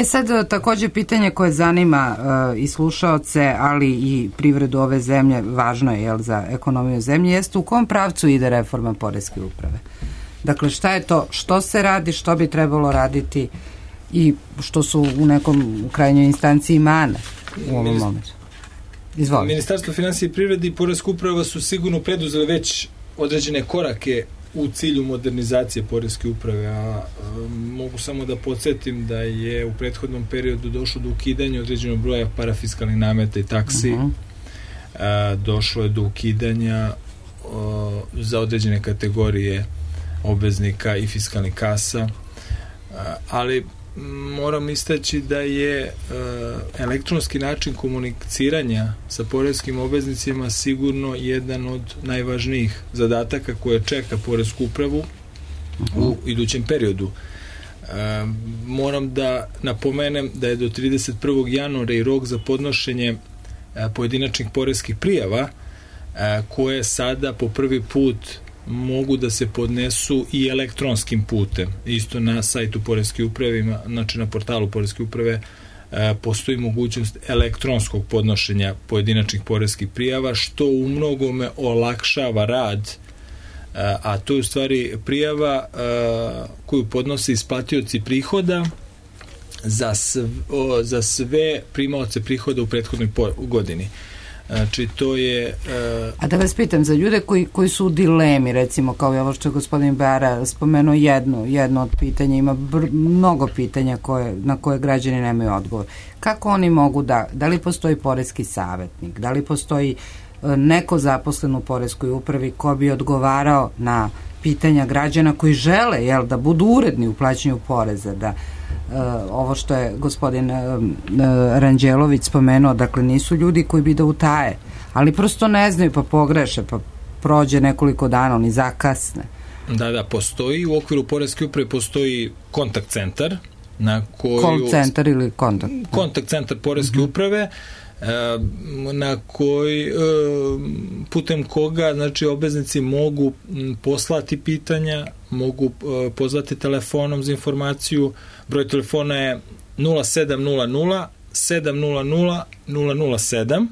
Sad takođe pitanje koje zanima i slušaoce, ali i privredu ove zemlje, važno je za ekonomiju zemlje, jeste u kom pravcu ide reforma poreske uprave? Dakle, šta je to, što se radi, što bi trebalo raditi i što su u nekom krajnjoj instanciji mane u ovom momentu? Izvolite. Ministarstvo finansija i privrede i poreska uprava su sigurno preduzeli već određene korake u cilju modernizacije poreske uprave, a mogu samo da podsjetim da je u prethodnom periodu došlo do ukidanja određenog broja parafiskalnih nameta i taksi, došlo je do ukidanja za određene kategorije obveznika i fiskalnih kasa, ali moram istaći da je elektronski način komuniciranja sa poreskim obveznicima sigurno jedan od najvažnijih zadataka koje čeka poresku upravu u idućem periodu. Moram da napomenem da je do 31. januara i rok za podnošenje pojedinačnih poreskih prijava koje sada po prvi put mogu da se podnesu i elektronskim putem. Isto na sajtu poreske uprave, znači na portalu poreske uprave postoji mogućnost elektronskog podnošenja pojedinačnih poreskih prijava, što u mnogome olakšava rad, a to je u stvari prijava koju podnose isplatioci prihoda za sve primaoce prihoda u prethodnoj godini. Znači, to je... A da vas pitam, za ljude koji su u dilemi, recimo, kao je ovo što je gospodin Bara spomenuo jedno od pitanja, ima mnogo pitanja na koje građani nemaju odgovor. Kako oni mogu da li postoji poreski savjetnik, da li postoji neko zaposlen u poreskoj upravi ko bi odgovarao na pitanja građana koji žele da budu uredni u plaćanju poreza, da ovo što je gospodin Ranđelović spomenuo, dakle nisu ljudi koji bi da utaje, ali prosto ne znaju pa pogreše, pa prođe nekoliko dana, oni zakasne. Da, postoji, u okviru poreske uprave postoji kontakt centar na koju... Call centar ili kontakt? Kontakt centar poreske uprave na koji putem koga znači obveznici mogu poslati pitanja, mogu pozvati telefonom za informaciju. Broj telefona je 0700 700 007,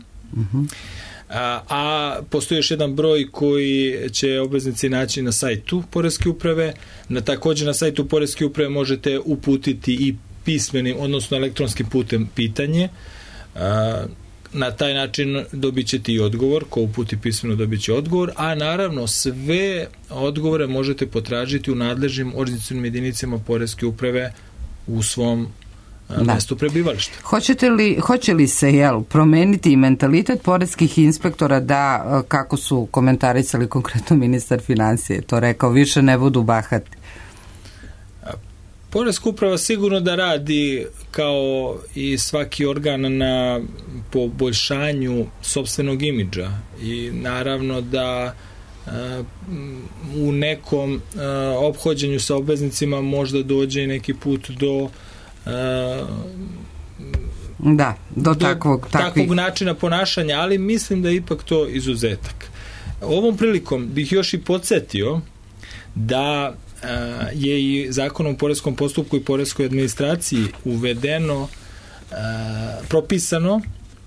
a postoji još jedan broj koji će obveznici naći na sajtu poreske uprave. Također na sajtu poreske uprave možete uputiti i pismenim, odnosno elektronskim putem pitanje. Na taj način dobit ćete i odgovor, ko uputi pismeno dobit će odgovor, a naravno sve odgovore možete potražiti u nadležnim organizacionim jedinicama poreske uprave u svom mestu prebivališta. Hoće li se promeniti i mentalitet poreskih inspektora da, kako su komentarisali konkretno ministar finansije, to rekao, više ne budu bahati? Poreska uprava sigurno da radi kao i svaki organ na poboljšanju sopstvenog imidža i naravno da u nekom ophođenju sa obveznicima možda dođe i neki put do takvog načina ponašanja, ali mislim da je ipak to izuzetak. Ovom prilikom bih još i podsjetio da je i Zakonom o poreskom postupku i poreskoj administraciji uvedeno, propisano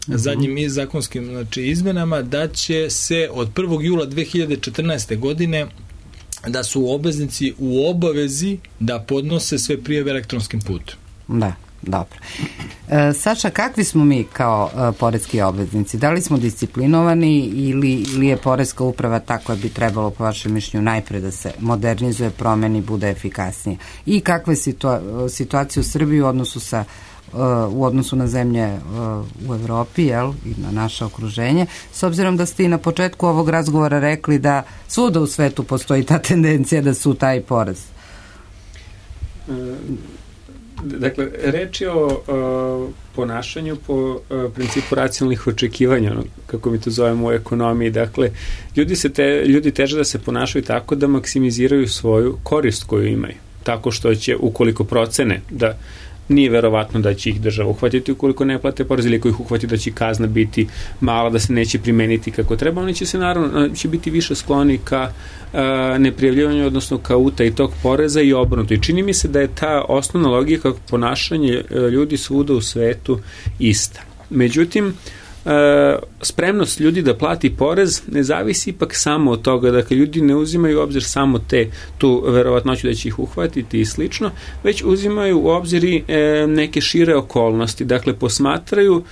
zadnjim zakonskim izmenama da će se od 1. jula 2014. godine da su obveznici u obavezi da podnose sve prijave elektronskim putem. Da. Dobro. Saša, kakvi smo mi kao poreski obveznici? Da li smo disciplinovani ili je poreska uprava ta koja bi trebalo, po vašem mišljenju, najpre da se modernizuje, promeni, bude efikasnije? I kakva je situacija u Srbiji u odnosu na zemlje u Evropi, jel, i na naše okruženje, s obzirom da ste i na početku ovog razgovora rekli da svuda u svetu postoji ta tendencija da su taj porez? Dakle, reč je o ponašanju po principu racionalnih očekivanja, kako mi to zovemo u ekonomiji. Dakle, ljudi teže da se ponašaju tako da maksimiziraju svoju korist koju imaju. Tako što će, ukoliko procene da nije verovatno da će ih država uhvatiti ukoliko ne plate porez, ili ako ih uhvati da će kazna biti mala, da se neće primeniti kako treba, oni će se naravno biti više skloni ka neprijavljivanju, odnosno ka utaji tog poreza i obrnuto. I čini mi se da je ta osnovna logika ponašanja ljudi svuda u svetu ista. Međutim, spremnost ljudi da plati porez ne zavisi ipak samo od toga, dakle ljudi ne uzimaju u obzir samo tu verovatnoću da će ih uhvatiti i slično, već uzimaju u obzir i neke šire okolnosti, dakle posmatraju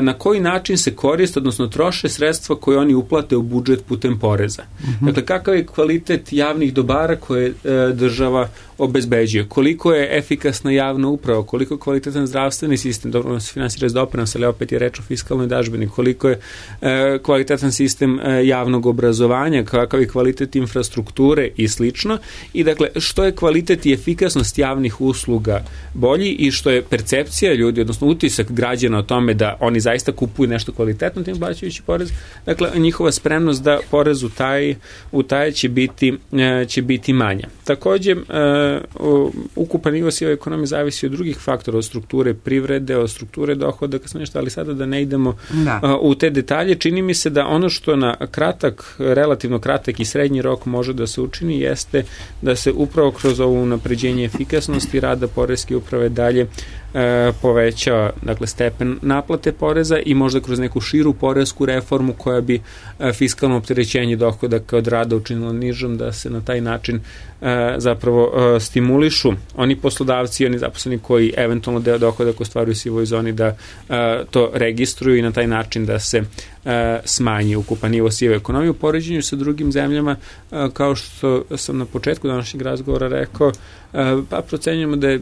na koji način se koriste, odnosno troše sredstva koje oni uplate u budžet putem poreza. Dakle, kakav je kvalitet javnih dobara koje država obezbeđuje, koliko je efikasna javna uprava, koliko je kvalitetan zdravstveni sistem, dobro se finansira iz doprinosa, ali opet je reč o fiskalnoj dažbini, koliko je kvalitetan sistem javnog obrazovanja, kakav je kvalitet infrastrukture i slično. I dakle, što je kvalitet i efikasnost javnih usluga bolji i što je percepcija ljudi, odnosno utisak građana o tome da oni zaista kupuju nešto kvalitetno tim plaćajući porez, dakle njihova spremnost da porez utaje će biti manja. Takođe, ukupan nivo sive ekonomije zavisi od drugih faktora, od strukture privrede, od strukture dohodaka, ali sada da ne idemo u te detalje. Čini mi se da ono što na relativno kratak i srednji rok može da se učini jeste da se upravo kroz ovo unapređenje efikasnosti rada poreske uprave dalje povećava, dakle, stepen naplate poreza i možda kroz neku širu poresku reformu koja bi fiskalno opterećenje dohodaka od rada učinila nižom, da se na taj način zapravo stimulišu oni poslodavci i oni zaposleni koji eventualno deo dohodaka ostvaruju u sivoj zoni da to registruju i na taj način da se smanji ukupan nivo sive ekonomije u poređenju sa drugim zemljama. Kao što sam na početku današnjeg razgovora rekao, pa procenjujemo da je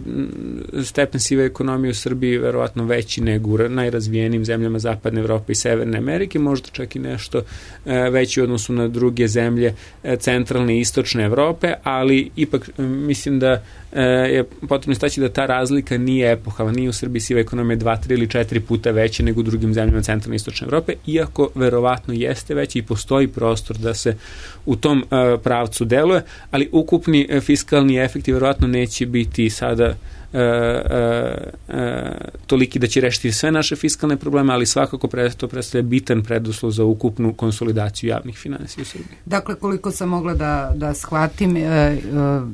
stepen sive ekonomije u Srbiji verovatno veći nego u najrazvijenijim zemljama Zapadne Evrope i Severne Amerike, možda čak i nešto veći u odnosu na druge zemlje centralne i istočne Evrope, ali ipak mislim da je potrebno istaći da ta razlika nije epohalna, nije u Srbiji siva ekonomija 2, 3 ili 4 puta veća nego u drugim zemljama centralne i istočne Evrope, iako verovatno jeste veći i postoji prostor da se u tom pravcu deluje, ali ukupni fiskalni efekti verovatno neće biti sada toliki da će rešiti sve naše fiskalne probleme, ali svakako to predstavlja bitan preduslov za ukupnu konsolidaciju javnih finansija u Srbiji. Dakle, koliko sam mogla da shvatim,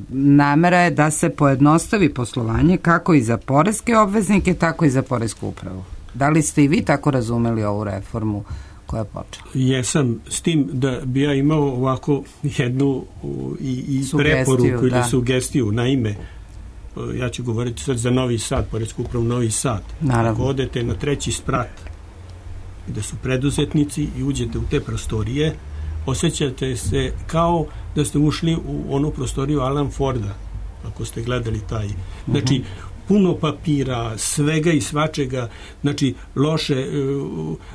namera je da se pojednostavi poslovanje kako i za poreske obveznike, tako i za poresku upravu. Da li ste i vi tako razumeli ovu reformu koja je počela? Jesam, s tim da bi ja imao ovako jednu i preporuku ili sugestiju. Naime, ja ću govoriti sad za Novi Sad, poresku upravu Novi Sad. Naravno. Ako odete na 3. sprat gde su preduzetnici i uđete u te prostorije, osjećate se kao da ste ušli u onu prostoriju Alan Forda, ako ste gledali taj. Znači, puno papira, svega i svačega, znači loše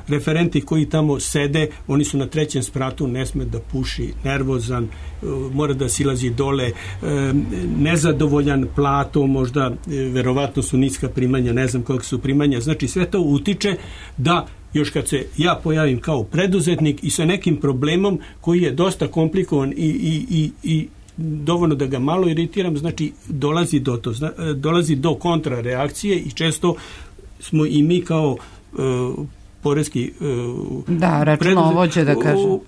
referenti koji tamo sede, oni su na 3. spratu, ne sme da puši, nervozan, mora da silazi dole, nezadovoljan platom, možda verovatno su niska primanja, ne znam koliko su primanja, znači sve to utiče da još kad se ja pojavim kao preduzetnik i sa nekim problemom koji je dosta komplikovan i dovoljno da ga malo iritiram, znači dolazi do kontrareakcije i često smo i mi kao poreski računovođe, da kažem,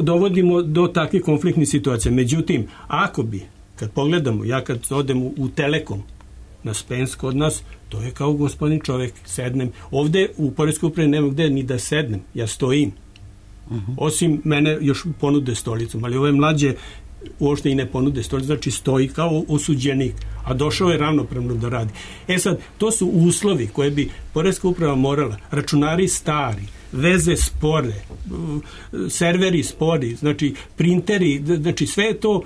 dovodimo do takvih konfliktnih situacija. Međutim, ako bi, kad pogledamo, ja kad odem u Telekom na Spens kod nas, to je kao gospodin čovek, sednem. Ovde u poreskoj upravi nema gde ni da sednem, ja stojim. Osim mene još ponude stolicom, ali ove mlađe uopšte i ne ponude stolicu, znači stoji kao osuđenik, a došao je ravnopravno da radi. Sad, to su uslovi koje bi Poreska uprava morala, računari stari, veze spore, serveri spori, znači printeri, znači sve to,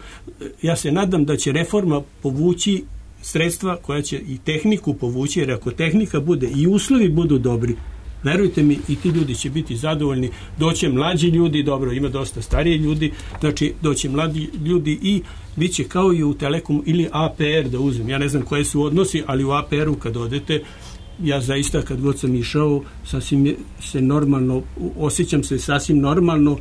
ja se nadam da će reforma povući sredstva koja će i tehniku povući, jer ako tehnika bude i uslovi budu dobri, verujte mi, i ti ljudi će biti zadovoljni, doće mlađi ljudi, dobro, ima dosta stariji ljudi, znači doće mladi ljudi i bit će kao i u Telekomu ili APR da uzmem, ja ne znam koje su odnosi, ali u APR-u kad odete, ja zaista kad god sam išao, sasvim se normalno, osjećam se sasvim normalno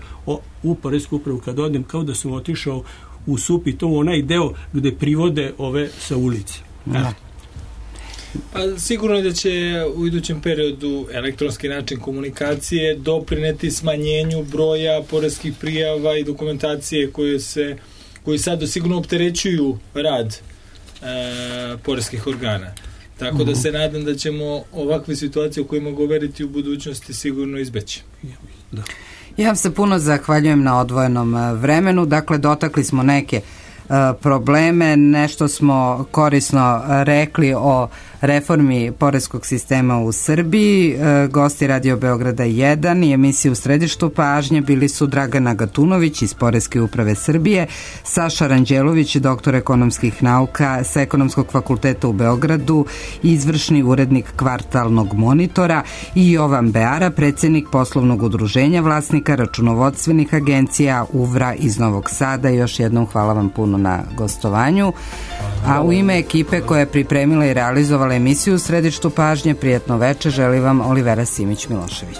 u Poresku upravu kad odem, kao da sam otišao u SUP i to onaj deo gde privode ove sa ulice. Pa sigurno je da će u idućem periodu elektronski način komunikacije doprineti smanjenju broja poreskih prijava i dokumentacije koji sad sigurno opterećuju rad poreskih organa. Tako da se nadam da ćemo ovakve situacije o kojima govoriti u budućnosti sigurno izbeći. Da. Ja vam se puno zahvaljujem na odvojenom vremenu. Dakle, dotakli smo neke probleme, nešto smo korisno rekli o reformi poreskog sistema u Srbiji. Gosti Radio Beograda 1 i emisije U središtu pažnje bili su Dragana Gatunović iz Poreske uprave Srbije, Saša Ranđelović, doktor ekonomskih nauka sa Ekonomskog fakulteta u Beogradu, izvršni urednik Kvartalnog monitora, i Jovan Beara, predsjednik poslovnog udruženja vlasnika računovodstvenih agencija UVRA iz Novog Sada. Još jednom hvala vam puno na gostovanju. A u ime ekipe koja je pripremila i realizovala emisiju U središtu pažnje, prijatno veče želi vam Olivera Simić Milošević.